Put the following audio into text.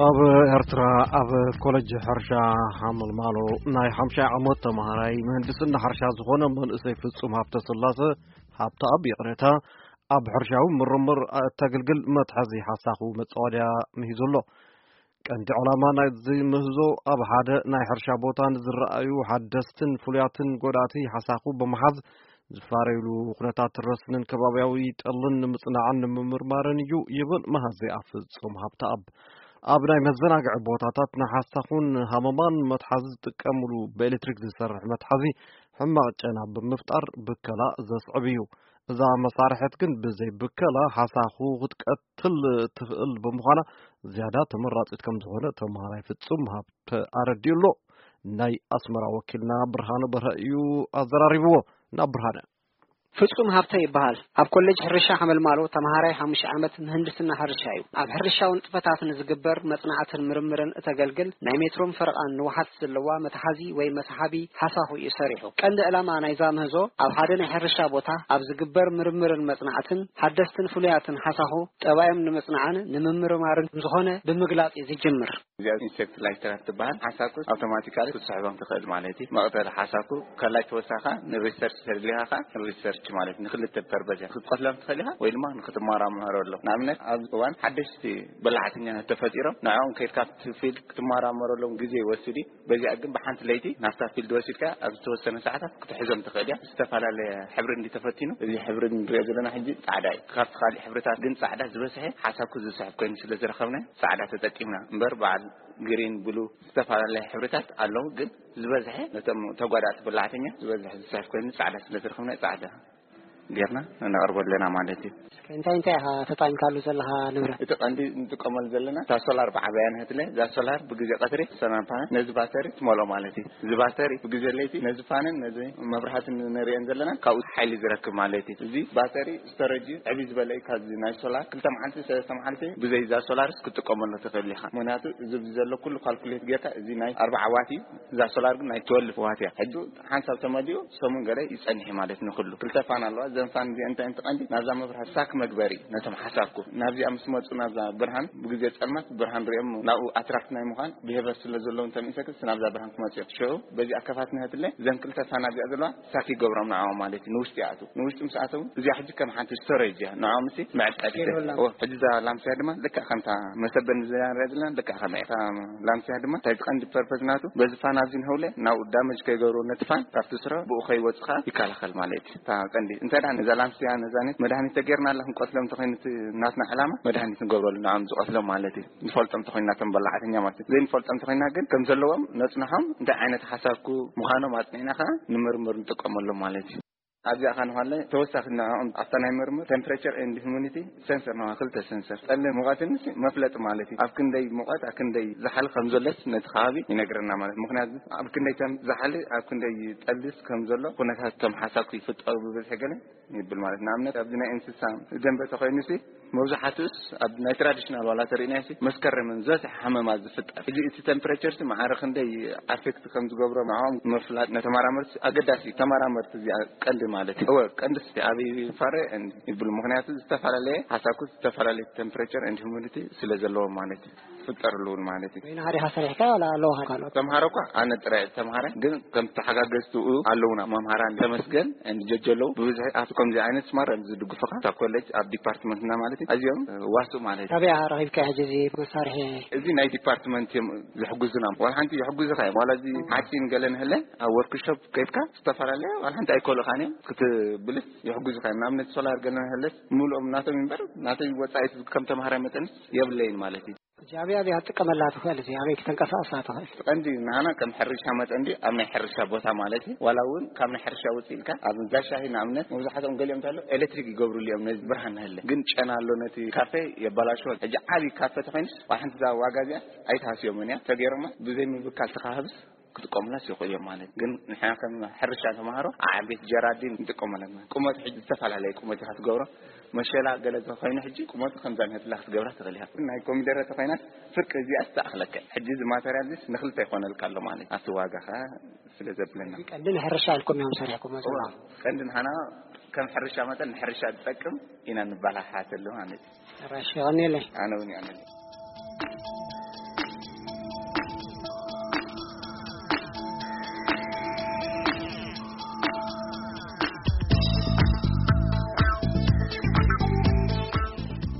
ኣብ ኤርትራ ኣብ ኮለጅ ሕርሻ ሓመልማሎ ናይ ሓምሻይ ዓመት ተምሃራይ ምህንድስና ሕርሻ ዝኾነ መንእሰይ ፍጹም ሃብተ ስላሰ፣ ሃብተኣብ ይቕሬታ፣ ኣብ ሕርሻዊ ምርምር እተገልግል መትሓዚ ሓሳኹ መጻወድያ ምሂዙ ኣሎ። ቀንዲ ዕላማ ናይዚ ምህዞ ኣብ ሓደ ናይ ሕርሻ ቦታ ንዝረኣዩ ሓደስትን ፍሉያትን ጎዳእቲ ሓሳኹ ብምሓዝ ዝፋረዩሉ ኩነታት ረስንን ከባብያዊ ጠልን ንምጽናዕን ንምምርማርን እዩ ይብል መሃዚ ኣፍጹም ሃብተኣብ። ኣብ ናይ መዘናግዒ ቦታታት ንሓሳኹን ሃመማን መትሓዚ ዝጥቀምሉ ብኤሌክትሪክ ዝሰርሕ መትሓዚ ሕማቕ ጨና ብምፍጣር ብከላ ዘስዕብ እዩ። እዛ መሳርሕት ግን ብዘይ ብከላ ሓሳኹ ክትቀትል ትኽእል ብምዃና ዝያዳ ተመራጺት ከም ዝኾነ ተምሃራይ ፍጹም ሃብተ ኣረዲኡ ኣሎ። ናይ ኣስመራ ወኪልና ብርሃነ በርሀ እዩ ኣዘራሪብዎ። ናብ ብርሃነ። ፍጹም ሃብተ ይበሃል። ኣብ ኮሌጅ ሕርሻ ሓመልማሎ ተምሃራይ ሓሙሽተ ዓመት ምህንድስና ሕርሻ እዩ። ኣብ ሕርሻዊ ንጥፈታት ንዝግበር መጽናዕትን ምርምርን እተገልግል ናይ ሜትሮን ፈረቓን ንውሓት ዘለዋ መትሓዚ ወይ መስሓቢ ሓሳኹ እዩ ሰሪሑ። ቀንዲ ዕላማ ናይዛ ምህዞ ኣብ ሓደ ናይ ሕርሻ ቦታ ኣብ ዝግበር ምርምርን መጽናዕትን ሓደስትን ፍሉያትን ሓሳኹ ጠባዮም ንምጽናዕን ንምምርማርን ዝኾነ ብምግላጽ እዩ ዝጅምር። እዚኣ ኢንሴክት ላይተራት ትበሃል። ሓሳኩ ኣውቶማቲካሊ ክትስሕቦም ትኽእል ማለት እዩ። መቕተሊ ሓሳኩ ከላይ ተወሳኻ ንሪሰርች ተደሊኻ ኸዓ ንሪሰርች ማለት ንክልተ ፐርፐዝ እያ። ክትቀትሎም ትኽእል ኢኻ ወይ ድማ ንክትመራመረሎም። ንኣብነት ኣብ እዋን ሓደሽቲ በላዕተኛታት ተፈጢሮም ንዕኦም ከይድካ ኣብቲ ፊልድ ክትመራመረሎም ግዜ ይወስድ እዩ። በዚኣ ግን ብሓንቲ ለይቲ ናብታ ፊልድ ወሲድካ ኣብ ዝተወሰነ ሰዓታት ክትሕዞም ትኽእል እያ። ዝተፈላለየ ሕብሪ እንዲ ተፈቲኑ፣ እዚ ሕብሪ ንሪኦ ዘለና ሕጂ ጻዕዳ እዩ። ካብቲ ካሊእ ሕብርታት ግን ጻዕዳ ዝበዝሐ ሓሳኩ ዝስሕብ ኮይኑ ስለ ዝረኸብና ጻዕዳ ተጠቂምና እምበር በዓል ግሪን፣ ብሉ፣ ዝተፈላለየ ሕብርታት ኣለዉ፣ ግን ዝበዝሐ ነቶም ተጓዳእቲ በላዕተኛ ዝበዝሐ ዝስሕብ ኮይኑ ጻዕዳ ስለ ዝረኸብና ጻዕዳ ጌርና ነቕርቦ ኣለና ማለት እዩ። እስከ እንታይ እንታይ ኢኻ ተጠቒምካሉ ዘለኻ ንብረት? እቲ ቀንዲ እንጥቀመሉ ዘለና እታ ሶላር ብዓበያ ንህትለ፣ እዛ ሶላር ብግዜ ቀትሪ ሰላም ፓነል ነዚ ባተሪ ትመልኦ ማለት እዩ። እዚ ባተሪ ብግዜ ለይቲ ነዚ ፋንን ነዚ መብራህትን ንሪኦን ዘለና ካብኡ ሓይሊ ዝረክብ ማለት እዩ። እዚ ባተሪ ስቶሬጅ እዩ፣ ዕብይ ዝበለ እዩ። ካብዚ ናይ ሶላር ክልተ መዓልቲ ሰለስተ መዓልቲ ብዘይ እዛ ሶላርስ ክትጥቀመሉ ትኽእል ኢኻ። ምኽንያቱ እዚ ዘሎ ኩሉ ካልኩሌት ጌርካ እዚ ናይ ኣርባዓ ዋት እዩ፣ እዛ ሶላር ግን ናይ ትወልፍ ዋት እያ። ሕጂ ሓንሳብ ተመሊኡ ሰሙን ገለ ይጸንሕ ማለት ንኹሉ። ክልተ ፋን ኣለዋ። እዘን ፋን እዚአን እንታይ እየን? እቲ ቀንዲ ናብዛ መብራህቲ ሳክ መግበሪ ነቶም ሓሳኩ ናብዚኣ ምስ መጹ ናብዛ ብርሃን ብግዜ ጸልማት ብርሃን ሪኦም ናብኡ ኣትራክት ናይ ምዃን ብሄቨር ስለ ዘለዎም ተሚእሰክስ ናብዛ ብርሃን ክመጹ እዮም። ሽዑ በዚኣ ከፋት ንህትለ እዘን ክልተ ፋን ኣብዚኣ ዘለዋ ሳክ ይገብሮም ንዕኦም ማለት እዩ። ንውሽጢ ይኣትዉ። ንውሽጢ ምስ ኣተዉ እዚኣ ሕጂ ከም ሓንቲ ስቶሬጅ እያ። ንዕኦም እሲ መዕቀቢ። ሕጂ እዛ ላምሲያ ድማ ልክዕ ከምታ መሰበን ዝያ ንሪኣ ዘለና ልክዕ ከመይ እያ። እታ ላምሲያ ድማ እንታይ ቀንዲ ፐርፐዝ ናቱ በዚ ፋን ኣብዚ ንህውለ ናብኡ ዳመጅ ከይገብሮ ነቲ ፋን ካብቲ ስረ ብኡ ከይወጽእ ከኣ ይከላኸል ማለት እዩ። እታ ቀንዲ እንታይ ደኣ ነዛ ላምሲያ ነዛ ነት መድሃኒት ተገይርና ኣላ ክንቀትሎም እንተኾይኑ እቲ ናትና ዕላማ መድሃኒት ንገብረሉ ንዓም ዝቐትሎም ማለት እዩ። ንፈልጦም እንተኾይንና እቶም በላዕተኛ ማለት እዩ። ዘይንፈልጦም እንተኾይንና ግን ከም ዘለዎም ነጽንሖም እንታይ ዓይነት ሓሳብኩ ምዃኖም ኣጽኒዕና ከኣ ንምርምር ንጥቀመሎም ማለት እዩ። ኣብዚኣ ኸዓ ንኳለ ተወሳኺ ንዕኦም ኣብታ ናይ ምርምር ቴምፕሬቸር ኤንድ ሁሚዲቲ ሴንሰር ንዋ ክልተ ሴንሰር ጠሊ ሙቐትን መፍለጢ ማለት እዩ። ኣብ ክንደይ ሙቐት ኣብ ክንደይ ዝሓል ከም ዘሎስ ነቲ ከባቢ ይነግረና ማለት። ምኽንያቱ ኣብ ክንደይ ከም ዝሓል ኣብ ክንደይ ጠልስ ከም ዘሎ ኩነታት ከም ሓሳብ ይፍጠሩ ብብዝሒ ገለ ይብል ማለት። ንኣብነት ኣብዚ ናይ እንስሳ ደንበ ተኾይኑሲ መብዛሕትኡስ ኣብ ናይ ትራዲሽናል ዋላ ተርእናሲ መስከረምን ዝበዝሕ ሓመማ ዝፍጠር። እዚ እቲ ቴምፕሬቸር ሲ ማዕረ ክንደይ ኣፌክት ከም ዝገብሮ ንዕኦም ምፍላጥ ነተመራመርቲ ኣገዳሲ እዩ። ተመራመርቲ እዚኣ ቀንዲ ማለት እዩ። እወ ቀንዲ ስ ኣብ ፋረ ይብሉ። ምኽንያቱ ዝተፈላለየ ሓሳኩ ዝተፈላለየ ቴምፕሬቸር ኤንድ ሁሚዲቲ ስለ ዘለዎ ማለት እዩ። ዝፍጠርሉ እውን ማለት እዩ። ወይ ንሃዲኻ ሰሪሕካ ዋላ ኣለዎ ካልኦት? ተምሃሮ እኳ ኣነ ጥራይ ተምሃረ ግን ከም ተሓጋገዝትኡ ኣለውና መምሃራን ተመስገን እንጀጀ ኣለዉ። ብብዝሒ ኣብቲ ከምዚ ዓይነት ስማር ዝድግፉኻ እታ ኮሌጅ ኣብ ዲፓርትመንትና ማለት እዩ ኣዝዮም ዋሱ ማለት እዩ። ካበይ ኢኻ ረኺብካ ሕጂ እዚ መሳርሒ? እዚ ናይ ዲፓርትመንት እዮም ዝሕግዙና። ዋላ ሓንቲ ይሕግዙኻ እዮም። ዋላ እዚ ሓፂን ገለ ንህለ ኣብ ወርክሾፕ ከይድካ ዝተፈላለየ ዋላ ሓንቲ ኣይኮልኻን እዮም ክትብልስ ይሕግዙኻ እዮም። ንኣብነት ሶላር ገለ ንህለስ ምልኦም ናቶም እምበር ናተይ ወፃኢት ከም ተምሃራይ መጠንስ የብለይን ማለት እዩ። እዚ ኣበይ ኣበይ ክትጥቀመላ ትኽእል? እዚ ኣበይ ክተንቀሳቕሳ ትኽእል? እቲ ቀንዲ ንዓና ከም ሕርሻ መጠን ድዩ ኣብ ናይ ሕርሻ ቦታ ማለት እዩ። ዋላ እውን ካብ ናይ ሕርሻ ውፅእ ኢልካ ኣብ እንዳ ሻሂ ንኣብነት መብዛሕትኦም ገሊኦም እንተሎ ኤሌክትሪክ ይገብሩሉ እዮም ነዚ ብርሃን ንህለ። ግን ጨና ኣሎ ነቲ ካፌ የባላሽዎ። ሕጂ ዓብዪ ካፌ ተኾይኑስ ዋላ ሓንቲ እዛ ዋጋ እዚኣ ኣይትሃስዮምን እያ። ተገይሮማ ብዘይ ምብካል ተኻህብስ ክጥቀሙላስ ይኽእሉ እዮም ማለት ግን ንሕና ከም ሕርሻ ተምሃሮ ዓቤት ጀራዲን ንጥቀሙ ኣለና። ቁመት ሕጂ ዝተፈላለየ ቁመት ኢኻ ትገብሮ። መሸላ ገለ እንተኾይኑ ሕጂ ቁመቱ ከምዛ ንህትላ ክትገብራ ትኽእል ኢኻ። ናይ ኮሚደረ ተኾይናስ ፍርቂ እዚኣ ትኣኽለከ። ሕጂ እዚ ማተርያል ዚስ ንኽልተ ይኾነልካ ኣሎ ማለት ኣብቲ ዋጋ ኸ ስለ ዘብለና። ቀንዲ ንሕርሻ ኢልኩም እዮም ሰሪሕኩም ዘለኹም። ቀንዲ ንሓና ከም ሕርሻ መጠን ንሕርሻ ዝጠቅም ኢና ንባላሓተሉ ማለት እዩ። ሕራሽ ይቐኒለይ። ኣነ እውን ይቐኒለይ።